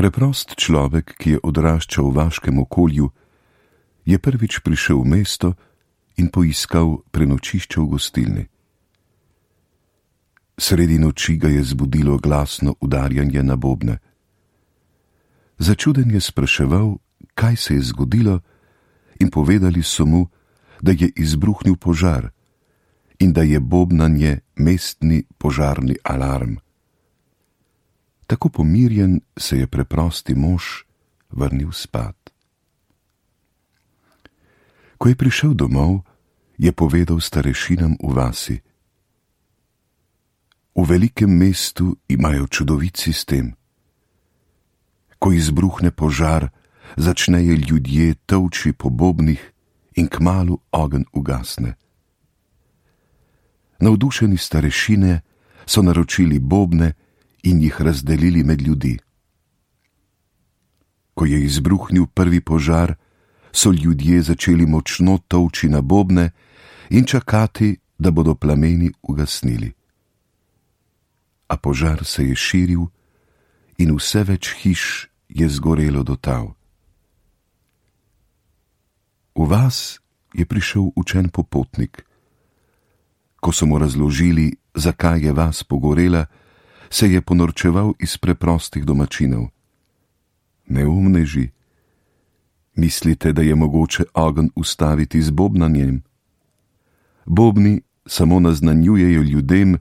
Preprost človek, ki je odraščal v vaškem okolju, je prvič prišel v mesto in poiskal prenočišče v gostilni. Sredi noči ga je zbudilo glasno udarjanje na bobne. Začuden je spraševal, kaj se je zgodilo, in povedali so mu, da je izbruhnil požar in da je bobnanje mestni požarni alarm. Tako pomirjen se je preprosti mož vrnil spat. Ko je prišel domov, je povedal starešinam v vasi: v velikem mestu imajo čudovit sistem. Ko izbruhne požar, začnejo ljudje tolči po bobnih in kmalu ogenj ugasne. Navdušeni starešine so naročili bobne in jih razdelili med ljudi. Ko je izbruhnil prvi požar, so ljudje začeli močno tolči na bobne in čakati, da bodo plameni ugasnili. A požar se je širil in vse več hiš je zgorelo do tal. V vas je prišel učen popotnik. Ko so mu razložili, zakaj je vas pogorela, se je ponorčeval iz preprostih domačinov. Neumneži, mislite, da je mogoče ogenj ustaviti z bobnanjem? Bobni samo naznanjujejo ljudem,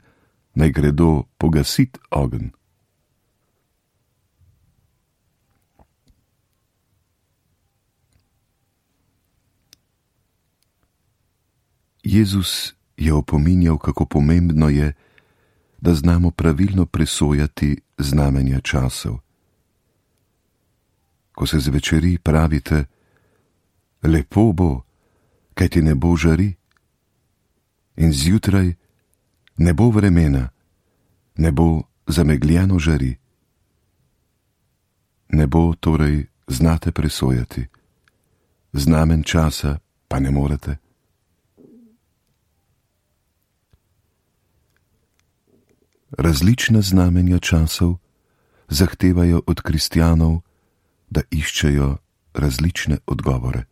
naj gredo pogasit ogenj. Jezus je opominjal, kako pomembno je, da znamo pravilno presojati znamenja časov. Ko se zvečeri, pravite: lepo bo, kajti nebo žari, in zjutraj: ne bo vremena, nebo zamegljeno žari. Nebo torej znate presojati, znamen časa pa ne morete. Različna znamenja časov zahtevajo od kristjanov, da iščejo različne odgovore.